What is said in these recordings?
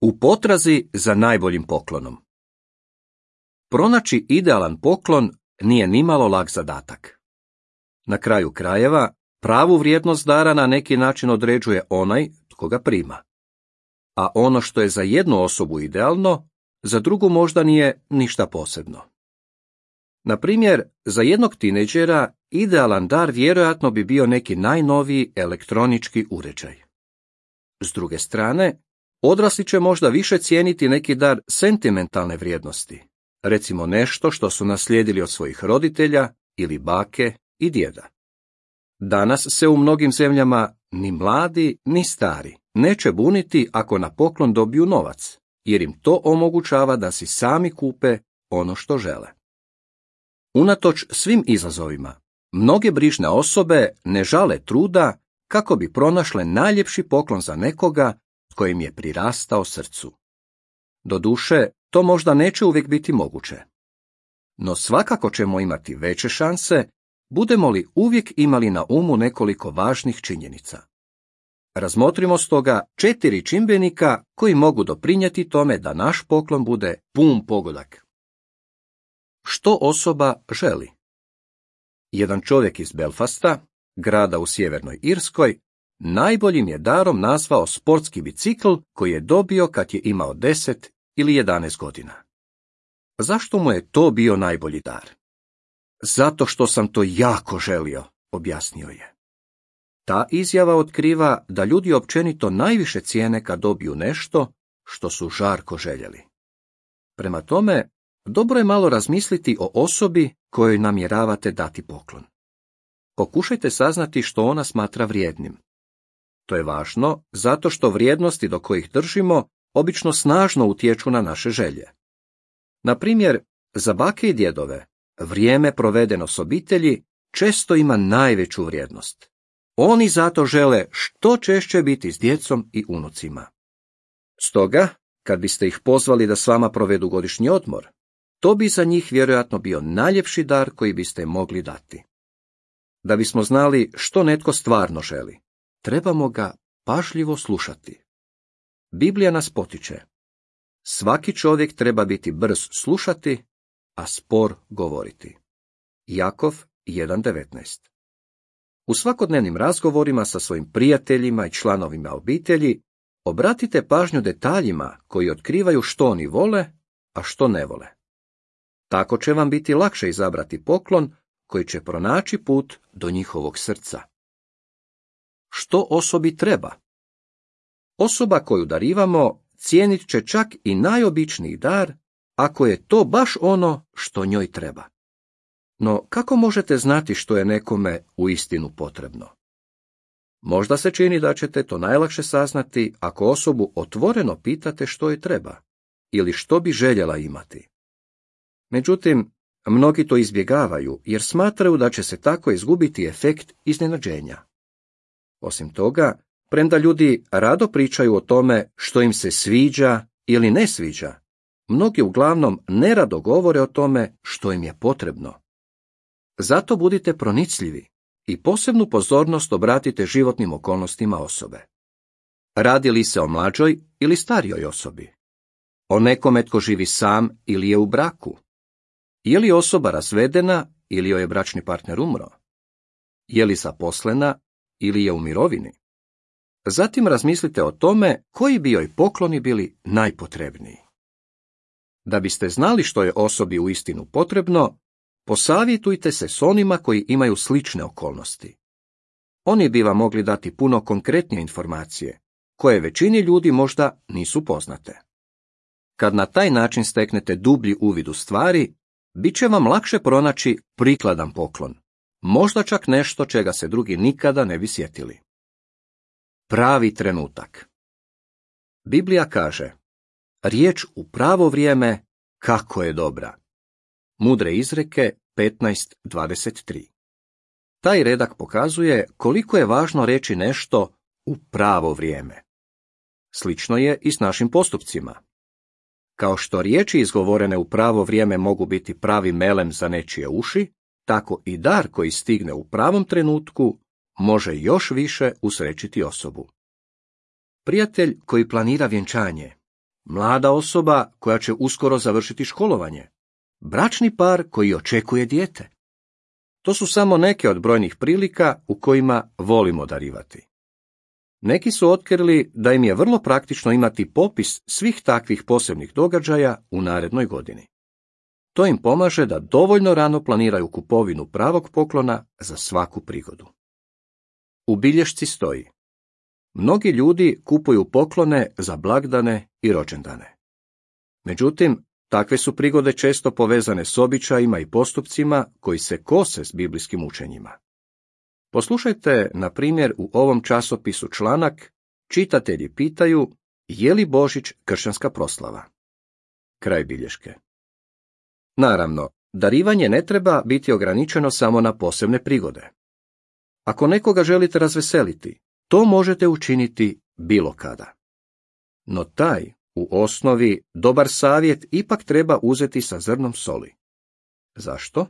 U potrazi za najboljim poklonom. Pronaći idealan poklon nije nimalo lak zadatak. Na kraju krajeva, pravu vrijednost dara na neki način određuje onaj tko ga prima. A ono što je za jednu osobu idealno, za drugu možda nije ništa posebno. Na primjer, za jednog tinejdžera idealan dar vjerojatno bi bio neki najnoviji elektronički uređaj. S druge strane, odrasli će možda više cijeniti neki dar sentimentalne vrijednosti, recimo nešto što su naslijedili od svojih roditelja ili bake i djeda. Danas se u mnogim zemljama ni mladi ni stari neće buniti ako na poklon dobiju novac, jer im to omogućava da si sami kupe ono što žele. Unatoč svim izazovima, mnoge brižne osobe ne žale truda kako bi pronašle najljepši poklon za nekoga tko im je prirastao srcu. Doduše, to možda neće uvijek biti moguće. No svakako ćemo imati veće šanse, budemo li uvijek imali na umu nekoliko važnih činjenica. Razmotrimo stoga 4 čimbenika koji mogu doprinijeti tome da naš poklon bude pun pogodak. Što osoba želi? Jedan čovjek iz Belfasta, grada u sjevernoj Irskoj, najboljim je darom nazvao sportski bicikl koji je dobio kad je imao 10 ili 11 godina. Zašto mu je to bio najbolji dar? Zato što sam to jako želio, objasnio je. Ta izjava otkriva da ljudi općenito najviše cijene kad dobiju nešto što su žarko željeli. Prema tome, dobro je malo razmisliti o osobi kojoj namjeravate dati poklon. Pokušajte saznati što ona smatra vrijednim. To je važno zato što vrijednosti do kojih držimo obično snažno utječu na naše želje. Na primjer, za bake i djedove, vrijeme provedeno s obitelji često ima najveću vrijednost. Oni zato žele što češće biti s djecom i unucima. Stoga, kad biste ih pozvali da s vama provedu godišnji odmor, to bi za njih vjerojatno bio najljepši dar koji biste mogli dati. Da bismo znali što netko stvarno želi, trebamo ga pažljivo slušati. Biblija nas potiče. Svaki čovjek treba biti brz slušati, a spor govoriti. Jakov 1.19. U svakodnevnim razgovorima sa svojim prijateljima i članovima obitelji obratite pažnju detaljima koji otkrivaju što oni vole, a što ne vole. Tako će vam biti lakše izabrati poklon koji će pronaći put do njihovog srca. Što osobi treba? Osoba koju darivamo cijenit će čak i najobičniji dar, ako je to baš ono što njoj treba. No, kako možete znati što je nekome uistinu potrebno? Možda se čini da ćete to najlakše saznati ako osobu otvoreno pitate što joj treba ili što bi željela imati. Međutim, mnogi to izbjegavaju jer smatraju da će se tako izgubiti efekt iznenađenja. Osim toga, premda ljudi rado pričaju o tome što im se sviđa ili ne sviđa, mnogi uglavnom nerado govore o tome što im je potrebno. Zato budite pronicljivi i posebnu pozornost obratite životnim okolnostima osobe. Radi li se o mlađoj ili starijoj osobi? O nekome tko živi sam ili je u braku? Je li osoba razvedena ili joj je bračni partner umro? Je li zaposlena ili je u mirovini? Zatim razmislite o tome koji bi joj pokloni bili najpotrebniji. Da biste znali što je osobi uistinu potrebno, posavjetujte se s onima koji imaju slične okolnosti. Oni bi vam mogli dati puno konkretnije informacije, koje većini ljudi možda nisu poznate. Kad na taj način steknete dublji uvid u stvari, bit će vam lakše pronaći prikladan poklon, možda čak nešto čega se drugi nikada ne bi sjetili. Pravi trenutak. Biblija kaže, riječ u pravo vrijeme kako je dobra. Mudre izreke 15.23. Taj redak pokazuje koliko je važno reći nešto u pravo vrijeme. Slično je i s našim postupcima. Kao što riječi izgovorene u pravo vrijeme mogu biti pravi melem za nečije uši, tako i dar koji stigne u pravom trenutku može još više usrećiti osobu. Prijatelj koji planira vjenčanje mlada osoba koja će uskoro završiti školovanje, bračni par koji očekuje dijete. To su samo neke od brojnih prilika u kojima volimo darivati. Neki su otkrili da im je vrlo praktično imati popis svih takvih posebnih događaja u narednoj godini. To im pomaže da dovoljno rano planiraju kupovinu pravog poklona za svaku prigodu. U bilješci stoji: mnogi ljudi kupuju poklone za blagdane i rođendane. Međutim, takve su prigode često povezane s običajima i postupcima koji se kose s biblijskim učenjima. Poslušajte, na primjer, u ovom časopisu članak Čitatelji pitaju je li Božić kršćanska proslava. Kraj bilješke. Naravno, darivanje ne treba biti ograničeno samo na posebne prigode. Ako nekoga želite razveseliti, to možete učiniti bilo kada. No taj, u osnovi, dobar savjet ipak treba uzeti sa zrnom soli. Zašto?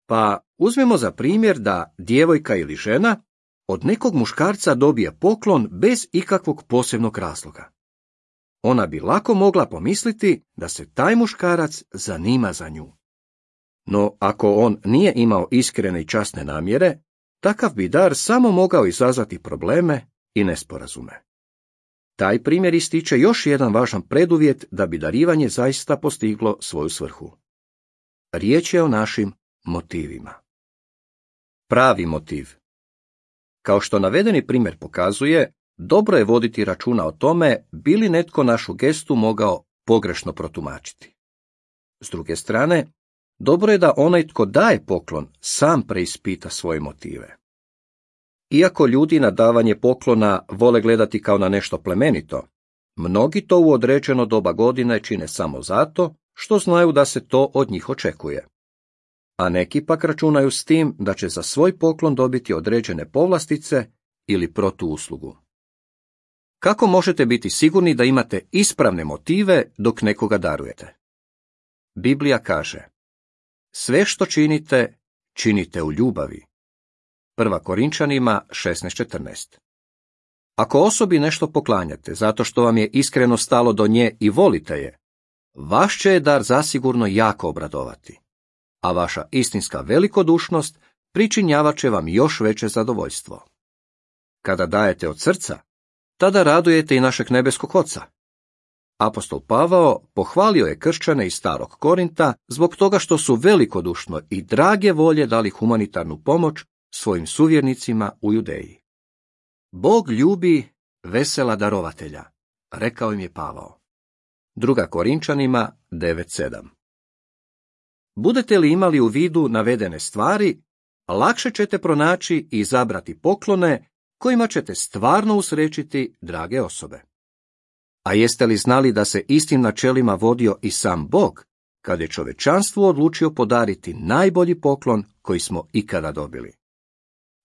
Pa uzmemo za primjer da djevojka ili žena od nekog muškarca dobije poklon bez ikakvog posebnog razloga. Ona bi lako mogla pomisliti da se taj muškarac zanima za nju. No ako on nije imao iskrene i časne namjere, takav bi dar samo mogao izazvati probleme i nesporazume. Taj primjer ističe još jedan važan preduvjet da bi darivanje zaista postiglo svoju svrhu. Riječ je o našim motivima. Pravi motiv. Kao što navedeni primjer pokazuje, dobro je voditi računa o tome bi li netko našu gestu mogao pogrešno protumačiti. S druge strane, dobro je da onaj tko daje poklon sam preispita svoje motive. Iako ljudi na davanje poklona vole gledati kao na nešto plemenito, mnogi to u određeno doba godine čine samo zato što znaju da se to od njih očekuje. A neki pak računaju s tim da će za svoj poklon dobiti određene povlastice ili protuuslugu. Kako možete biti sigurni da imate ispravne motive dok nekoga darujete? Biblija kaže: sve što činite, činite u ljubavi. 1. Korinčanima 16:14. Ako osobi nešto poklanjate zato što vam je iskreno stalo do nje i volite je, vaš će je dar zasigurno jako obradovati, a vaša istinska velikodušnost pričinjavat će vam još veće zadovoljstvo. Kada dajete od srca, tada radujete i našeg nebeskog Oca. Apostol Pavao pohvalio je kršćane iz Starog Korinta zbog toga što su velikodušno i drage volje dali humanitarnu pomoć svojim suvjernicima u Judeji. Bog ljubi vesela darovatelja, rekao im je Pavao. 2. Korinčanima 9:7. Budete li imali u vidu navedene stvari, lakše ćete pronaći i izabrati poklone kojima ćete stvarno usrećiti drage osobe. A jeste li znali da se istim načelima vodio i sam Bog, kad je čovečanstvu odlučio podariti najbolji poklon koji smo ikada dobili?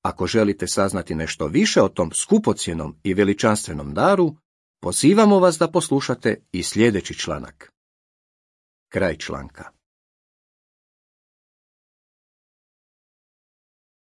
Ako želite saznati nešto više o tom skupocjenom i veličanstvenom daru, pozivamo vas da poslušate i sljedeći članak. Kraj članka.